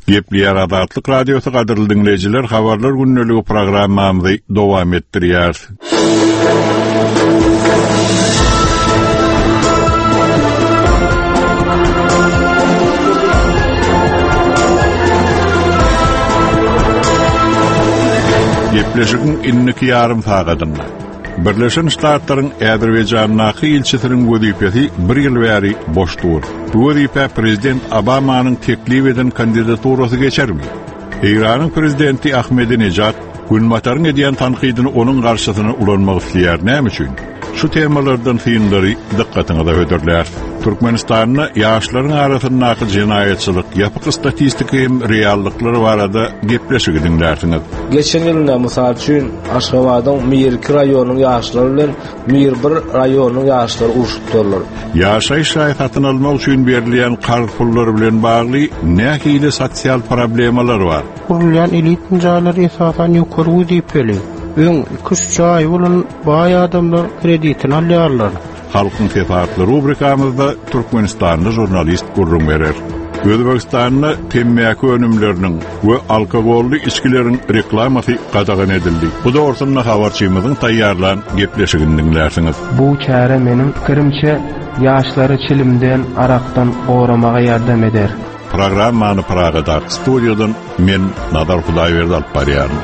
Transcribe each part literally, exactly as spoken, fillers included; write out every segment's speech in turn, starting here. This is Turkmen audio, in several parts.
Gepleýär Azatlyk Radiosy gadyrly diňleýjiler, habarlar gündeligi programmamyzy dowam etdirýär. Gepleşigiň indiki ýarym sagadynda Birleşen Ştatlaryň Azerbaýjandaky ilçisiniň wezipesi bir ýyl bäri boş dur. Bu wezipe Prezident Obamanyň teklip eden kandidaturasy geçermi? Eýranyň prezidenti Ahmedinejad Günbataryň edýän tankydyny onuň garşysyna ulanmak isleýär. Näme üçin? Şu temalardan synlary dykgatyňyza hödürler. Türkmenistanda ýaşlaryň arasyndaky jenaýatçylyk, ýapyk statistika hem reallyklar barada gepleşigi diňlärsiňiz. Geçen ýylda mysal üçin Aşgabadyň Mir iki raýonynyň ýaşlary bilen Mir bir raýonynyň ýaşlary urşupdyrlar. Ýaşaýyş jaý satyn almak üçin berilýän karz pullary bilen bagly nähili sosial problemalar bar? Gurulýan elit jaýlar esasan ýokary wezipeli, öň iki-üç jaý bolan baý adamlar kreditini alýarlar. Halkyň sesi atly rubrikamyzda Türkmenistanly žurnalist gürrüň berer. Özbekistanda temmäki önümleriniň we alkogolly içgileriň reklamasy gadagan edildi. Bu dogrusynda habarçymyzyň taýýarlan gepleşigini diňlärsiňiz. Bu çäre meniň pikirimçe ýaşlary çilimden, arakdan goramaga ýardam eder. Programmany Pragadaky studiýadan men Nazar Hudaýberdi alyp barýaryn.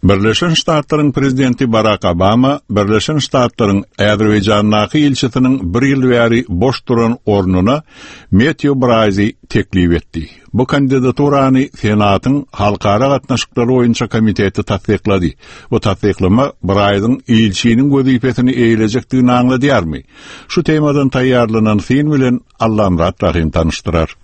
Birleşen Ştatlaryň prezidenti Barack Obama Birleşen Ştatlaryň Azerbaýjandaky ilçisiniň bir ýyl bäri boş duran ornuna Matthew Braýzy teklip etdi. Bu kandidaturany Senatyň Halkara gatnaşyklary boýunça komiteti tassyklady. Bu tassyklama Braýzyň ilçiniň wezipesini eýlejekdigini aňladýarmy? Şu temadan taýýarlanan syn bilen Allamyrat Rahim tanyşdyrar.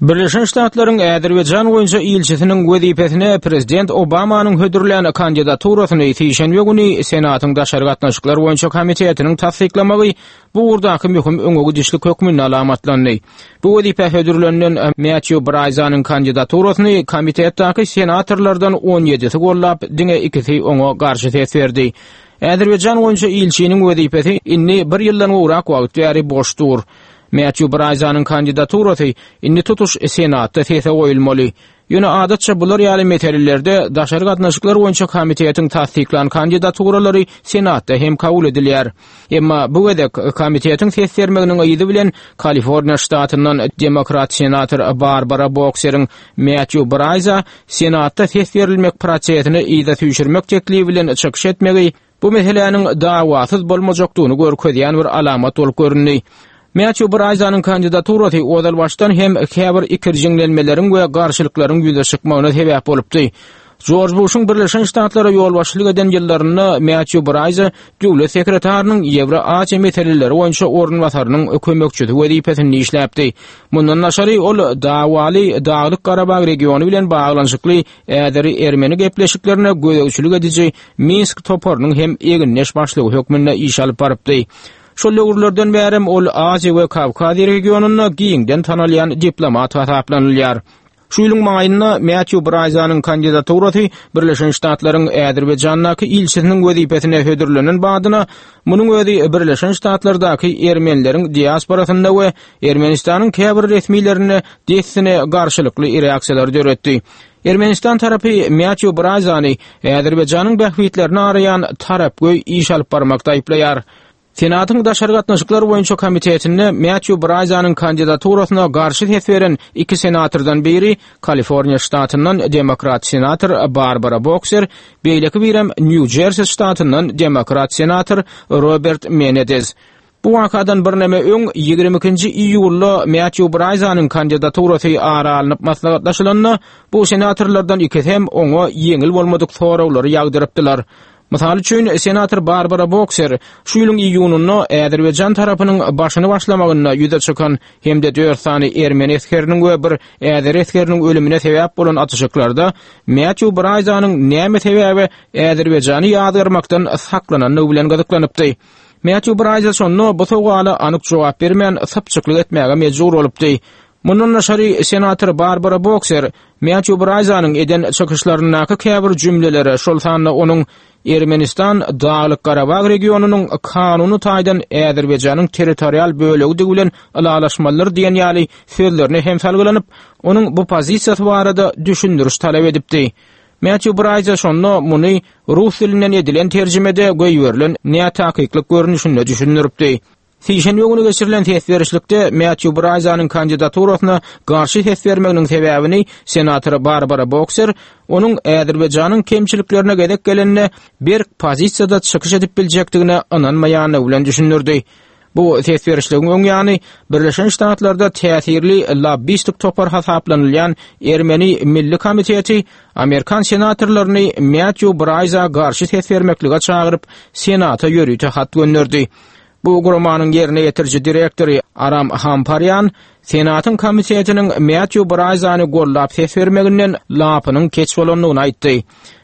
Birleşen Ştatlaryň Azerbaýjan boýunça ilçisiniň wezipesine Prezident Obamanyň hödürlän kandidaturasyny sişenbe güni Senatyň daşary gatnaşyklar boýunça komitetiniň tassyklamagy bu ugurdaky möhüm öňe gidişlik hökmünde alamatlandy. Bu wezipe hödürlenen Matthew Braýzanyň kandidaturasyny komitetdäki senatorlardan on ýedisi gollap, diňe ikisi oňa garşy ses berdi. Azerbaýjan boýunça ilçiniň wezipesi indi bir ýyldan gowrak wagt bäri boş dur. Matthew Braýzanyň kandidaturasy indi tutuş Senatda sese goýulmaly. Ýöne adatça bular ýaly meselelerde daşary gatnaşyklar boýunça komitetiň tassyklan kandidaturalary Senatda hem kabul edilýär. Emma bu gezek komitetiň ses bermeginiň yzy bilen Kaliforniýa ştatyndan demokrat senator Barbara Bokseriň Matthew Braýza Senatda ses berilmek prosesini yza süýşürmek teklibi bilen çykyş etmegi bu meseläniň dawasyz bolmajakdygyny görkezýän bir alamat bolup göründi. Matthew Braýzanyň kandidaturasy ozal başdan hem käbir ikirjiňlenmeleriň we garşylyklaryň ýüze çykmagyna sebäp bolupdy. George Bush'un Birleşen Ştatlara ýolbaşçylyk eden ýyllarynda Matthew Braýza döwlet sekretarynyň Ýewroaziýa meseleleri boýunça orunbasarynyň kömekçisi wezipesinde işläpdi. Mundan daşary ol dawaly Daglyk Garabag regiony bilen baglanyşykly Äzeri Ermeni gepleşiklerine gözegçilik ediji Minsk toparynyň hem egindeş başlygy hökmünde iş alyp barypdy. Şol döwürlerden bärem ol Aziýa we Kawkaz regionynda giňden tanalýan diplomat hasaplanylýar. Şu ýylyň maýynda Matthew Braýzanyň kandidaturasy Birleşen Ştatlaryň Azerbaýjandaky ilçisiniň wezipesine hödürlenen badyna munuň özi Birleşen Ştatlardaky ermenileriň diasporasynda we Ermenistanyň käbir resmilerinde dessine garşylykly reaksiýalar döretdi. Ermenistan tarapy Matthew Braýzany Azerbaýjanyň bähbitlerini araýan tarapgöý iş alyp barmakda aýyplaýar. Senatyň daşary gatnaşyklar boýunça komitetinde Matthew Braýzanyň kandidaturasyna garşy ses beren iki senatordan biri Kaliforniýa ştatyndan demokrat senator Barbara Bokser, beýleki birem New Jersey ştatyndan demokrat senator Robert Menendez. Bu wakadan birneme öň ýigrimi ikinji iýulda Matthew Braýzanyň kandidaturasy ara alnyp maslahatlaşylanda, bu senatorlardan ikisi hem oňa ýeňil bolmadyk soraglary ýagdyrypdylar. Mysal üçin, senator Barbara Bokser şu ýylyň iýunynda Azerbaýjan tarapynyň başyny başlamagynda ýüze çykan hem-de dört sany ermeni esgeriniň we bir äzer esgeriniň ölümine sebäp bolan atyşyklarda Matthew Braýzanyň näme sebäbe Azerbaýjany ýazgarmakdan saklanandygy bilen gyzyklanypdy. Matthew Braýza şonda bu sowala anyk jogap bermän sypçyklyk etmäge mejbur bolupdy. Mundan daşary senator Barbara Bokser Matthew Bryzanyň eden çykyşlaryndaky käbir jümlelere, şol sanda onuň Ermenistan Daglyk Garabag regionynyň kanuny taýdan Azerbaýjanyň territorial bölegidigi bilen ylalaşmalydyr diýen ýaly sözlerine hem salgylanyp, onuň bu pozisiýasy barada düşündiriş talap edipdi. Matthew Bryza şonda muny rus dilinden edilen terjimede goýberilen nätakyklyk görnüşinde düşündiripdi. Sişenbe günü geçirilen ses berişlikde Matthew Bryzanyň kandidaturasyna garşy ses bermeginiň sebäbini senator Barbara Boxer onuň Azerbaýjanyň kemçiliklerine gezek gelende berk pozisiýada çykyş edip biljekdigine ynanmaýandygy bilen düşündirdi. Bu ses berişligiň öň ýany Birleşen Ştatlarda täsirli lobbistik topar hasaplanylýan Ermeni Milli Komiteti Amerikan senatorlaryny Matthew Bryza garşy ses bermeklige çagyryp Senata ýörite hat gönderdi. Bu guramanyň ýerine ýetiriji direktory Aram Hamparyan Senatyň komitetiniň Matthew Bryzany gollap ses bermeginden lapynyň keç bolandygyny aýtdy.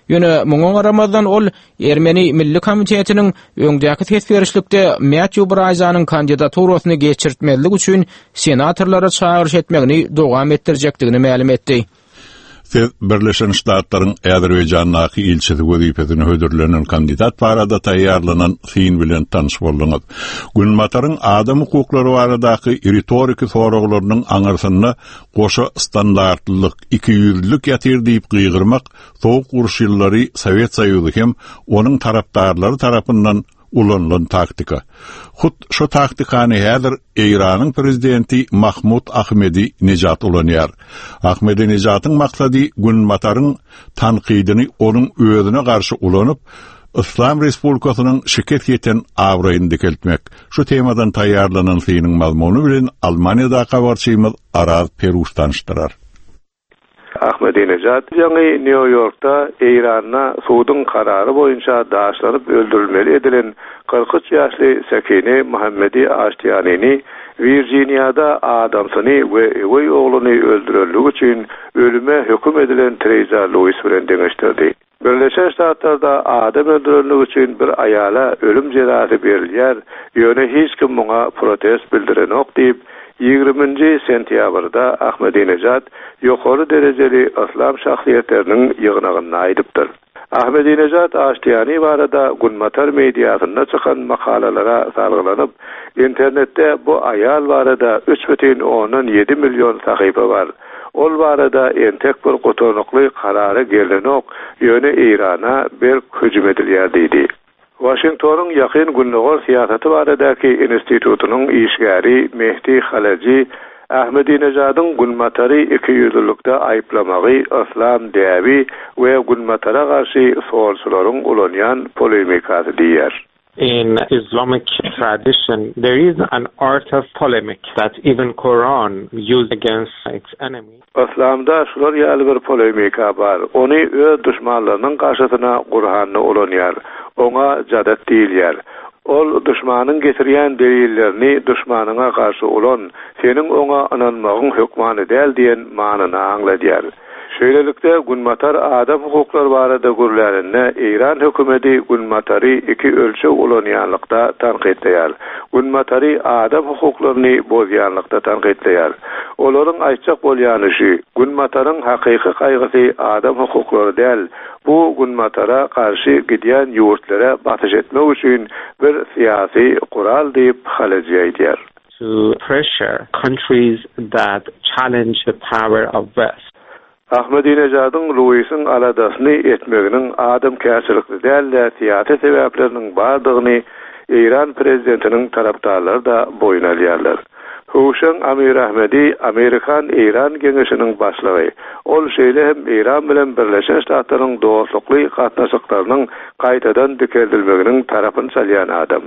Ýöne muňa garamazdan ol Ermeni Milli Komitetiniň öňdäki ses berişlikde Matthew Bryzanyň kandidaturasyny geçirtmezlik üçin senatorlara çagyryş etmegini dowam etdirjekdigini mälim etdi. Siz Birleşen Ştatlaryň Azerbaýjandaky ilçisi wezipesine hödürlenen kandidat barada taýýarlanan syn bilen tanyş bolduňyz. Günbataryň adam hukuklary baradaky ritoriki soraglarynyň aňyrsynda goşa standartlylyk, iki ýüzlülük ýatyr diýip gygyrmak soğuk uruş ýyllary Sowet Soýuzy hem onuň tarapdarlary tarapyndan ulanylan taktika. Hut şu taktikany häzir Eýranyň prezidenti Mahmud Ahmedi Nejat ulanýar. Ahmedi Nejatyň maksady Günbataryň tankydyny onuň özüne garşy ulanyp, Islam Respublikasynyň şikes ýeten abraýyny dikeltmek. Şu temadan taýýarlanan synyň mazmuny bilen Almaniýada habarçymyz Araz Peruş tanyşdyrar. Ahmedinejad ýaňy New Yorkda Eýranda suduň karary boýunça daşlanyp öldürilmeli edilen kyrk üç ýaşly Sakine Muhammedi Aştiyanini Virginiada adamsyny we öweý ogluny öldürenligi üçin ölüme höküm edilen Teresa Lewis bilen deňeşdirdi. Birleşen Ştatlarda adam öldürenligi üçin bir aýala ölüm jezasy berilýär, ýöne hiç kim muňa protest bildirenok diýip, ýigriminji sentýabrda Ahmedinejad ýokary derejeli islam şahsyýetleriniň ýygnagynda aýdypdyr. Ahmedinejad Aştiýani barada Günbatar mediasynda çykan makalalara salgylanyp, internetde bu aýal barada üç bütin ondan ýedi million sahypa bar. Ol barada entek bir gutarnykly karara gelenok, ýöne Eýrana berk hüjüm edilýär diýdi. Washingtonyň ýakyn gündogar syýasaty baradaky institutynyň işgäri Mehdi Halaji Ahmedinejadyň Günbatary iki ýüzlülükde aýyplamagy islam däbi we Günbatara garşy solçularyň ulanýan polemikasy diýer. In Islamic tradition, there is an art of polemic that even Quran used against its enemy. Islamda şular ýaly bir polemika bar. Ony öz düşmanlarynyň garşysyna Kur'anny ulanýar. Oňa jadat diýilýär. Ol düşmanyň getirýän delillerini düşmanyňa garşy ulan, seniň oňa ynanmagyň hökmany däl diýen manyny aňladýar. Şeýlelikde Günbatar adam hukuklary barada gürläninde Eýran hökümeti Günbatary iki ölçeg ulanýanlykda tankytlaýar. Günbatary adam hukuklaryny bozýanlykda tankytlaýar. Olaryň aýtjak bolýany şu, Günbataryň hakyky gaýgysy adam hukuklary däl, bu Günbatara garşy gidýän ýurtlara basyş etmek üçin bir syýasy gural diýip Halaji aýdýar. To pressure countries that challenge the power of West. Ahmedinejadyň Luisiň aladasyny etmeginiň adam kärçilikli däl-de syýasy sebäpleriniň bardygyny Eýran prezidentiniň tarapdarlary da boýun alýarlar. Huşang Amir Ahmedi Amerikan Eýran geňeşiniň başlygy. Ol şeýle hem Eýran bilen Birleşen Ştatlaryň dostlukly gatnaşyklarynyň gaýtadan dikeldilmeginiň tarapyny çalýan adam.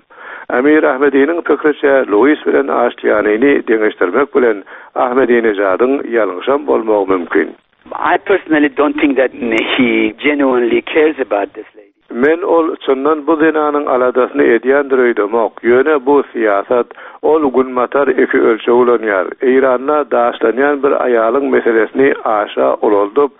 Amir Ahmediniň pikiriçe Luis bilen Aştiyanini deňeşdirmek bilen Ahmedinejadyň ýalňyşam bolmagy mümkin. I personally don't think that he genuinely cares about this lady. Men ol çyndan bu zenanyň aladasyny edýändir öýdemok. Ýöne bu syýasat ol Günbatar iki ölçeg ulanýar. Eýranda daşlanýan bir aýalyň meselesini aşa ulaldyp,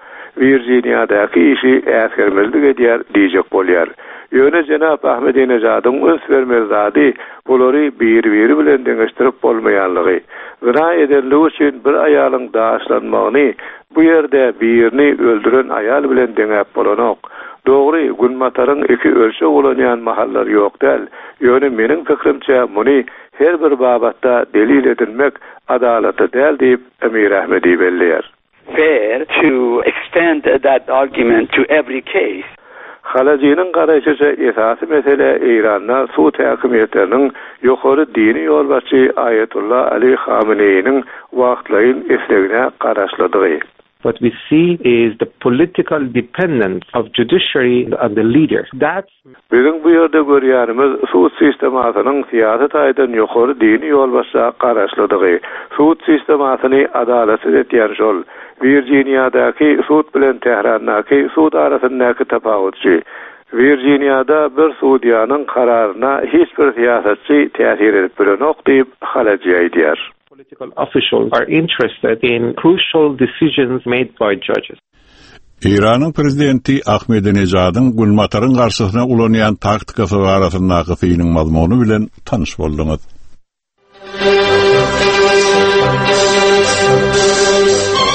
Virginiadaky işi äsgermezlik edýär diýjek bolýar. Ýöne jenap Ahmedinejadyň üns bermeli zady bulary bir-biri bilen deňeşdirip bolmaýanlygy. Zina edenligi üçin bir aýalyň daşlanmagyny bu ýerde birini öldüren aýal bilen deňäp bolanok. Dogry, Günbataryň iki ölçeg ulanýan mahallary ýok däl. Ýöne meniň pikirimçe muny her bir babatda delil edinmek adalatly däl diýip Emir Ahmedi belleýär. Fair to extend that argument to every case. Halajynyň garaýşyça esasy mesele Eýranda sud häkimiýetleriniň ýokary dini ýolbaşçy Aýetullah Ali Hameneýiniň wagtlaýyn islegine garaşlydygy. What we see is the political dependence of judiciary on the leader. That's Biziň bu ýerde görýänimiz sud sistemasynyň syýasy taýdan ýokary dini ýolbaşça garaşlydygy. Sud sistemasyny adalatsyz etýän şol. Wirjiniýadaky sud bilen Tährandaky sud arasyndaky tapawutçy. Wirjiniýada bir sudýanyň kararyna hiç bir syýasatçy täsir edip bilenok diýip Halajy aýdýar. Political officials are interested in crucial decisions made by judges. Eýranyň prezidenti Ahmedinejadyň Günbataryň garşysyna ulanýan taktikasy barasyndaky synyň mazmuny bilen tanyş bolduňyz.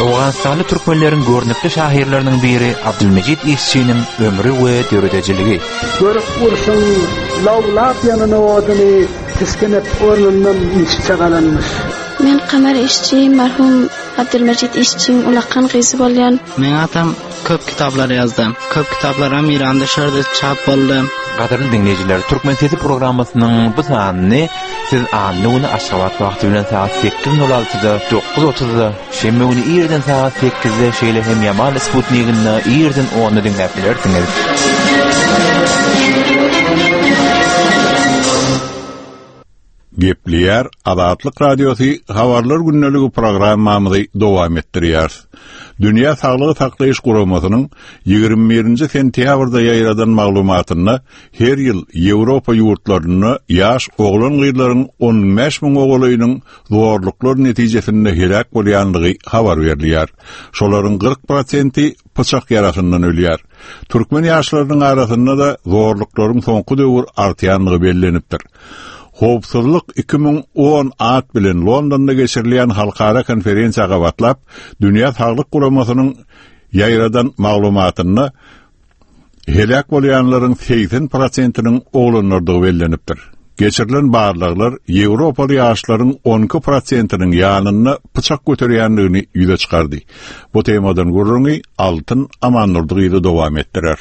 Owganystanly türkmenleriň görnükli şahyrlarynyň biri Abdülmecid İşçiniň ömri we döredijiligi. Görüp urşuň lawlap ýanyna oduny tiskenip ornundan işçe galanmış. Men Kamar işçi, merhum Abdülmecid işçiň ulakan gyzy bolýan. Men atam köp kitaplar ýazdy. Köp kitaplaram İranda şerde çap boldy. Gadyrly dinleýjiler, Türkmen Sesi programmasynyň bu sanyny siz anna güni Aşgabat wagty bilen saat sekiz nol altyda, dokuz otuzda, şenbe güni irden saat sekizde, şeýle hem Yamal Sputnikinde irden onda diňläp bilersiňiz. Gepleýär Azatlyk Radiosy habarlar gündeligi programmamyzy dowam etdirýär. Dünýä Saglygy Saklaýyş Guramasynyň ýigrimi birinji sentýabrda ýaýradan maglumatynda her ýyl Ýewropa ýurtlarynda ýaş oglan gyzlaryň on bäş müň oglunyň zorluklar netijesinde helak bolýanlygy habar berilýär. Şolaryň kyrk prosenti pyçak ýarasyndan ölýär. Türkmen ýaşlarynyň arasynda da zorluklaryň soňky döwür artýanlygy bellenipdir. Howpsuzlyk iki müň on at bilen Londonda geçirilýän halkara konferensiýa gabatlap, Dünýä Saglyk Guramasynyň ýaýradan maglumatynda helak bolýanlaryň segsen prosentiniň oglanlardygy bellenipdir. Geçirilen barlaglar Ýewropaly ýaşlaryň on iki prosentiniň ýanynda pyçak göterýändigini ýüze çykardy. Bu temadan gürrüňi Altyn Amannurdy gyzy dowam etdirer.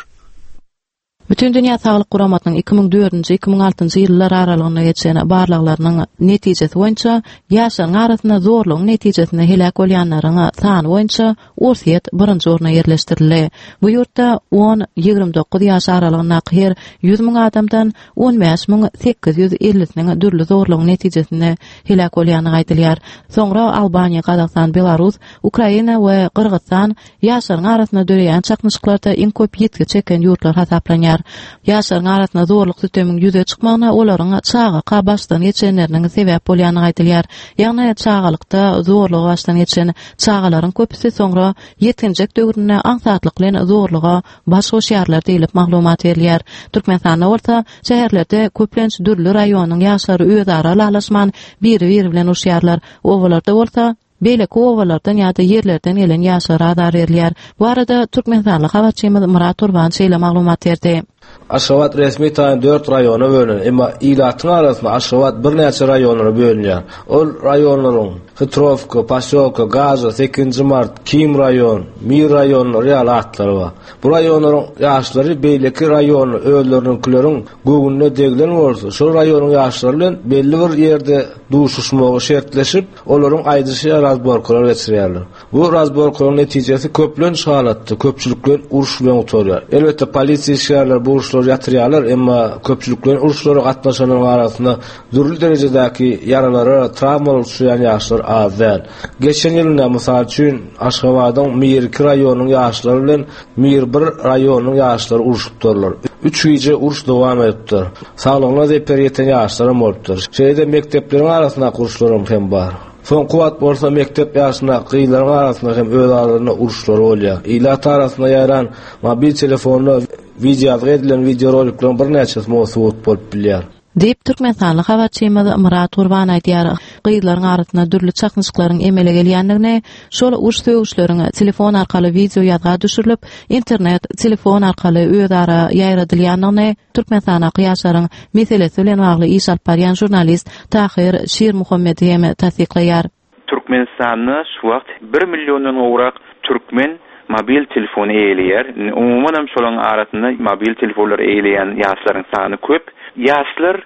Bütün Dünya Sağlık Guramasynyň iki müň dördünji, iki müň altynjy ýyllar aralygynda geçen barlaglarynyň netijesi boýunça ýaşlaryň arasynda zorlugyň netijesinde helak bolýanlaryň sany boýunça Orsýet birinji orna ýerleşdirildi. Bu ýurtda on ýigrimi dokuz ýaş aralygyndaky her ýüz müň adamdan on bäş müň sekiz ýüz ellisiniň dürli zorlugyň netijesinde helak bolýany aýdylýar. Soňra Albaniýa, Gazagystan, Belarus, Ukraina we Gyrgyzstan ýaşlaryň arasynda döreýän çaknyşyklarda iň köp ýitgi çeken ýurtlar hasaplanýar. Ýaşlaryň arasynda zorluk sütemiň ýüze çykmagyna olaryň çagaka başdan geçenleriniň sebäp bolýany aýdylýar. Ýagny çagalykda zorlugy başdan geçen çagalaryň köpüsi soňra ýetginjek döwründe aňsatlyk bilen zorluga baş goşýarlar diýlip maglumat berilýär. Türkmenistanda bolsa şäherlerde köplenç dürli raýonyň ýaşlary özara lalaşman biri-biri bilen uruşýarlar. Obalarda bolsa beýleki obalardan ýa-da ýerlerden gelen ýaşlara azar berilýär. Bu arada Türkmenistanly habarçymyz Murat Turban şeýle maglumat berdi. Aşgabat resmi taýdan dört raýona bölünen, emma ilatyň arasynda Aşgabat birnäçe raýonlara bölünýär. Ol raýonlaryň Hitrowka, Pasýolka, Gaza, sekizinji mart, Kim raýon, Mir raýonlary ýaly atlary bar. Bu raýonlaryň ýaşlary beýleki raýonly özleriniňkileriň göwnüne deglen bolsa, şol raýonyň ýaşlary bilen belli bir ýerde duşuşmagy şertleşip, olaryň aýdyşy razborkalar geçirýärler. Bu razborkalaryň netijesi köplenç halatda köpçülikleýin uruş bilen gutarýar. Elbetde polisiýa işgärleri bu uruşlary ýatyrýarlar, emma köpçülikleýin uruşlara gatnaşanlaryň arasynda dürli derejedäki ýaralara, travmalar uçraýan ýaşlar az däl. Geçen ýylda mysal üçin Aşgabadyň Mir iki raýonynyň ýaşlary bilen Mir bir raýonynyň ýaşlary uruşypdyrlar. Üç gije uruş dowam edipdir. Saglygyna zeper ýeten ýaşlar hem bolupdyr. Şeýle-de mekdepleriň arasynda uruşlar hem bar. Soňky wagt bolsa mekdep ýaşynda gyzlaryň arasynda hem öz aralarynda uruşlar bolýar. Ilat arasynda ýaýran mobil telefonda video ýazgy edilen videorolikleriň birnäçesi subut bolup bilýär. Diýip Türkmenistanly habarçymyz Myrat Gurban aýdýar. Gyzlaryň arasynda dürli çaknyşyklaryň emele gelýändigini, şol uruş sögüşleriň telefon arkaly wideo ýazga düşürilip, internet, telefon arkaly özara ýaýradylýandygyny Türkmenistandaky ýaşlaryň meselesi bilen bagly iş alyp barýan žurnalist Tahir Şirmuhammedi hem tassyklaýar. Türkmenistanda şu wagt bir milliondan gowrak türkmen mobil telefony eýeleýär. Umuman hem şolaryň arasynda mobil telefonlary eýeleýän ýaşlaryň sany köp. Ýaşlar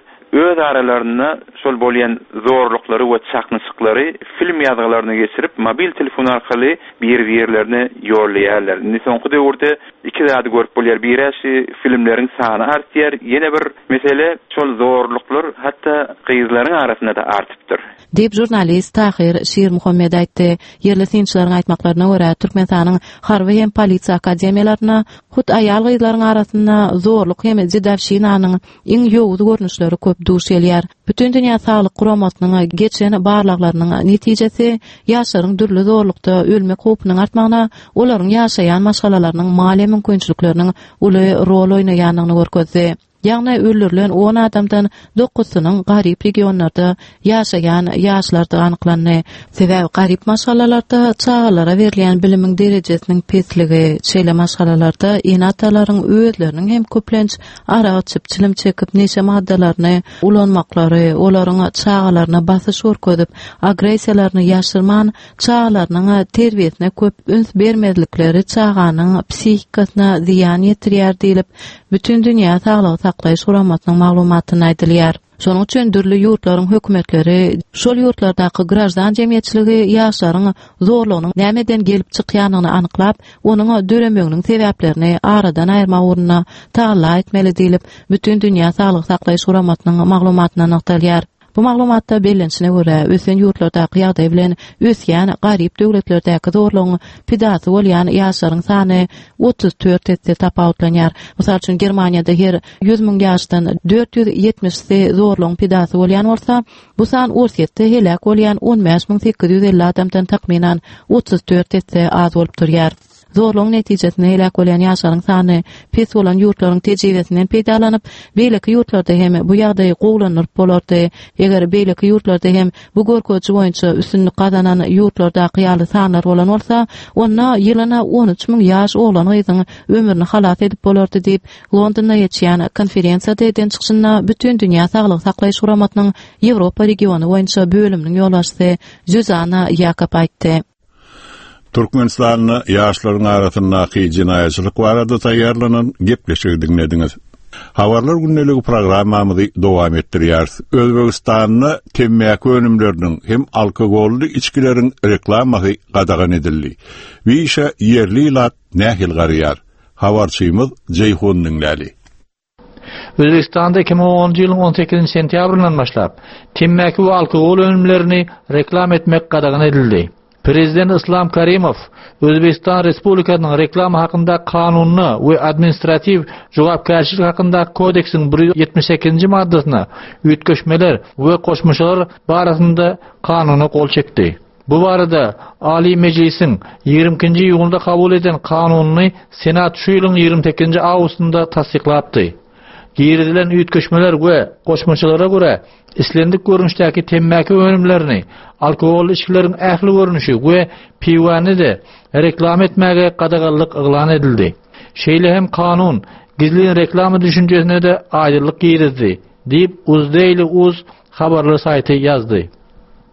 öz aralarynda şol bolýan zorluklary we çaknyşyklary film ýazgylaryny geçirip, mobil telefon arkaly bir-birlerine ýollaýarlar. Indi soňky döwürde iki zady görüp bolýar. Biri şu filmleriň sany artýar. Ýene bir mesele şol zorluklar hatda gyzlaryň arasynda da artypdyr. Diýip žurnalist Tahir Şirmuhammed aýtdy. Ýerli synçylaryň aýtmaklaryna görä, Türkmenistanyň harby hem polisiýa akademiýalaryna hut aýal gyzlaryň arasynda zorluk hem jedawşinanyň iň ýowuz görnüşleri köp duş gelýär. Bütün Dünýä Saglyk Guramasynyň geçen barlaglarynyň netijesi ýaşlaryň dürli zorlukda ölmek howpunyň artmagyna, olaryň ýaşaýan maşgalalarynyň maliýe mümkinçilikleriniň uly rol oýnaýandygyny görkezdi. Ýagny öldürilen on adamdan dokuzysynyň garyp regionlarda ýaşaýan ýaşlardygy anyklandy. Sebäbi garyp maşgalalarda çagalara berilýän bilimiň derejesiniň pesligi, şeýle maşgalalarda ene-atalaryň özleriniň hem köplenç arak içip, çilim çekip, neşe maddalaryny ulanmaklary, olaryň çagalaryna basyş görkezip, agressiýalaryny ýaşyrman, çagalarynyň terbiýesine köp üns bermezlikleri çaganyň psihikasyna zyýan ýetirýär diýlip, Bütün Dünýä Saglygy Saklaýyş Guramasynyň maglumatynda aýdylýar. Şonuň üçin dürli ýurtlaryň hökümetleri, şol ýurtlardaky graždan jemgyýetçiligi ýaşlaryň zorlugynyň nämeden gelip çykýandygyny anyklap, onuň döremeginiň sebäplerini aradan aýyrmak ugrunda tagalla etmeli diýlip, Bütün Dünýä Saglygy Saklaýyş Guramasynyň maglumatynda nygtalýar. Bu maglumatda bellenişine görä, ösen ýurtlardaky ýagdaý bilen ösýän garyp döwletlerdäki zorlugyň pidasy bolýan ýaşlaryň sany otuz dört esse tapawutlanýar. Mysal üçin, Germaniýada her ýüz müň ýaşdan dört ýüz ýetmişsi zorlugyň pidasy bolýan bolsa, bu san Orsýetde heläk bolýan on bäş müň sekiz ýüz elli adamdan takmynan otuz dört esse az bolup durýar. Zorlugyň netijesinde heläk bolýan ýaşlaryň sany pes bolan ýurtlaryň tejribesinden peýdalanyp, beýleki ýurtlarda hem bu ýagdaýy gowulandyryp bolardy. Eger beýleki ýurtlarda hem bu görkeziji boýunça üstünlik gazanan ýurtlardaky ýaly sanlar bolan bolsa, onda ýylyna on üç müň ýaş oglan gyzyň ömrüni halas edip bolardy diýip, Londonda geçýän konferensiýada eden çykyşynda Bütün Dünýä Saglygy Saklaýyş Guramasynyň Ýewropa regiony boýunça bölüminiň ýolbaşçysy Zuzana Ýakob aýtdy. Türkmenistanda ýaşlaryň arasyndaky jenaýatçylyk barada taýýarlanan gepleşigi diňlediňiz. Habarlar gündeligi programmamyzy dowam etdirýäris. Özbegistanda temmäki önümleriniň hem alkogolly içgileriň reklamasy gadagan edildi. Bu işe ýerli ilat nähili garaýar? Habarçymyz Jeýhun diňläli. Özbegistanda iki müň onunjy ýylyň on sekizinji sentýabryndan başlap temmäki we alkogol önümlerini reklam etmek gadagan edildi. Prezident Islam Karimov Özbekistan Respublikasynyň reklama hakynda kanunyna we administratiw jogapkärçilik hakynda kodeksiň bir ýüz ýetmiş sekizinji maddasyna üýtgeşmeler we goşmaçalar barasynda kanuna gol çekdi. Bu barada Ali Mejlisiň ýigrimi ikinji iýunda kabul eden kanunyny Senat şu ýylyň ýigrimi sekizinji awgustynda tassyklapdy. Girizilen üýtgeşmeler we goşmaçalara görä islendik görnüşdäki temmäki önümlerini, alkogolly içgileriň ähli görnüşi we piwany de reklama etmäge gadaganlyk yglan edildi. Şeýle hem kanun gizlin reklama düşünjesine de aýdyňlyk girizdi, diýip Uzdaily Uz habarlar saýty ýazdy.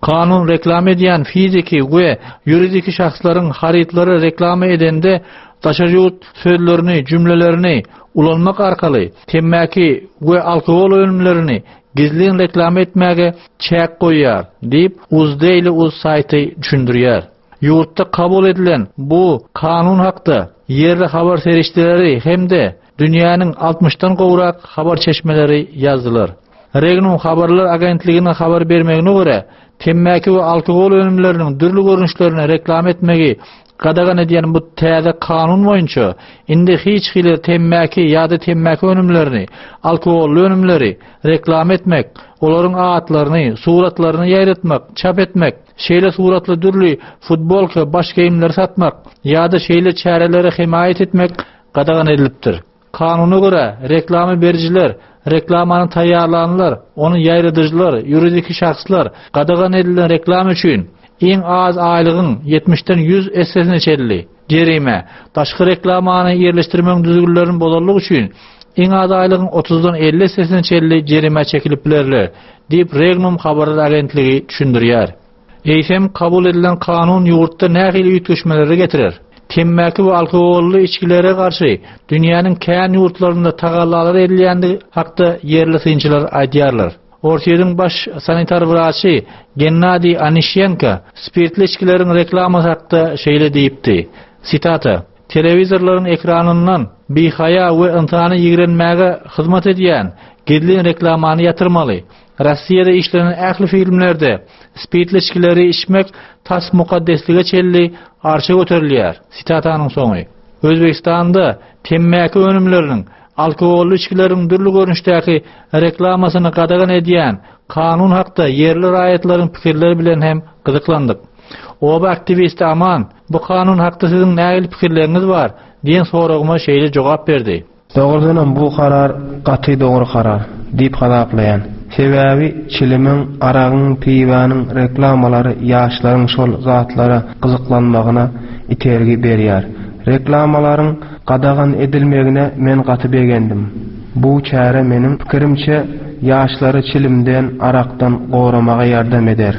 Kanun reklama edýän fiziki we ýuridiki şahslaryň harytlary reklama edende daşary ýurt sözlerini, jümlelerini ulanmak arkaly temmäki we alkogol önümlerini gizlin reklama etmäge çäk goýýar, diýip Uzdaily Uz saýty düşündirýär. Ýurtda kabul edilen bu kanun hakda ýerli habar serişdeleri hem-de dünýäniň altmyşdan gowrak habar çeşmeleri ýazdylar. Regnum habarlar agentliginiň habar bermegine görä, temmäki we alkogol önümleriniň dürli görnüşlerini reklama etmegi gadagan edýän bu täze kanun boýunça indi hiç hili temmäki ýa-da temmäki önümlerini, alkogolly önümleri reklama etmek, olaryň atlaryny, suratlaryny ýaýratmak, çap etmek, şeýle suratly dürli futbolka, baş geýimleri satmak ýa-da şeýle çärelere hemaýat etmek gadagan edilipdir. Kanuna görä, reklama berijiler Reklamany taýýarlanlar, ony ýaýradyjylar, ýuridiki şahslar gadagan edilen reklama üçin iň az aýlygyň ýetmişden ýüz essesine çenli jerime, daşky reklamany ýerleşdirmegiň düzgünlerini bozanlyk üçin iň az aýlygyň otuzdan elli essesine çenli jerime çekilip bilerler, diýip Regnum habarlar agentligi düşündirýär. Eýsem kabul edilen kanun ýurtda nähili üýtgeşmeleri getirer? Temmäki we alkogolly içgilere garşy dünýäniň kän ýurtlarynda tagallalar edilýändigi hakda ýerli synçylar aýdýarlar. Orsýetiň baş sanitar wraçy Gennadiý Anişenko spirtli içgileriň reklamasy hakda şeýle diýipdi. Sitata: Telewizorlaryň ekranyndan bihaýa we ynsany ýigrenmäge hyzmat edýän gizlin reklamany ýatyrmaly. Rossiýada işlenen ähli filmlerde spirtli içgileri içmek tas mukaddeslige çenli arşa göterilýär. Sitatanyň soňy. Özbegistanda temmäki önümleriniň, alkogolly içgileriň dürli görnüşdäki reklamasyny gadagan edýän kanun hakda ýerli raýatlaryň pikirleri bilen hem gyzyklandyk. Oba aktiwisti Aman, bu kanun hakda siziň nähili pikirleriňiz bar diýen soragyma şeýle jogap berdi. Dogrudanam bu karar gaty dogry karar diýip hasaplaýan. Sebäbi çilimiň, aragyň, piwanyň reklamalary ýaşlaryň şol zatlara gyzyklanmagyna itergi berýär. Reklamalaryň gadagan edilmegine men gaty begendim. Bu çäre meniň pikirimçe ýaşlary çilimden, arakdan goramaga ýardam eder.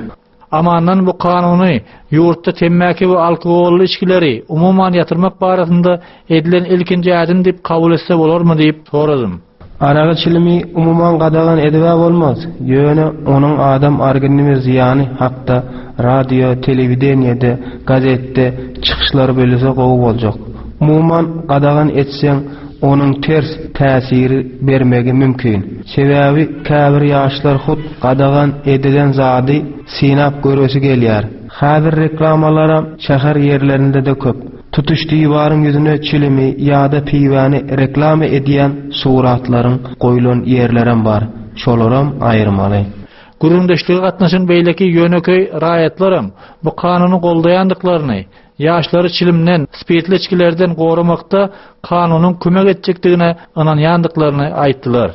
Amandan bu kanuny ýurtda temmäki we alkogolly içgileri umuman ýatyrmak barasynda edilen ilkinji ädim diýip kabul etse bolarmy diýip soradym. Aragy çilimi umuman gadagan edibe bolmaz. Ýöne onuň adam organizmi zyýany hakda radio, telewideniýede, gazetde çykyşlar bölse gowy boljak. Umuman gadagan etseň onuň ters täsiri bermegi mümkin. Sebäbi käbir ýaşlar hut gadagan edilen zady synap göresi gelýär. Häzir reklamalara şäher ýerlerinde de köp. Tutuş diwaryň ýüzüne çilimi ýa-da piwany reklama edýän suratlaryň goýlan ýerlerem bar. Şolaram aýyrmaly. Gürrüňdeşlige gatnaşan beýleki ýönekeý raýatlaram bu kanuny goldaýandyklaryny, ýaşlary çilimden, spirtli içgilerden goramakda kanunyň kömek etjekdigine ynanýandyklaryny aýtdylar.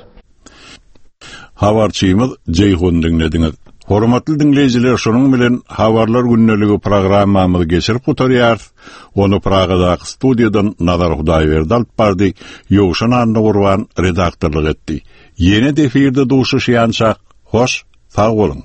Habarçymyz Jeýhun diňlediňiz. Hormatly diňleýjiler, şonuň bilen habarlar gündeligi programmamyzy geçirip gutarýarys. Ony Pragadaky studiýadan Nazar Hudaýberdi alyp bardy, Ýowşan Annagurban redaktorlyk etdi. Ýene de efirde duşuşýança hoş, sag boluň.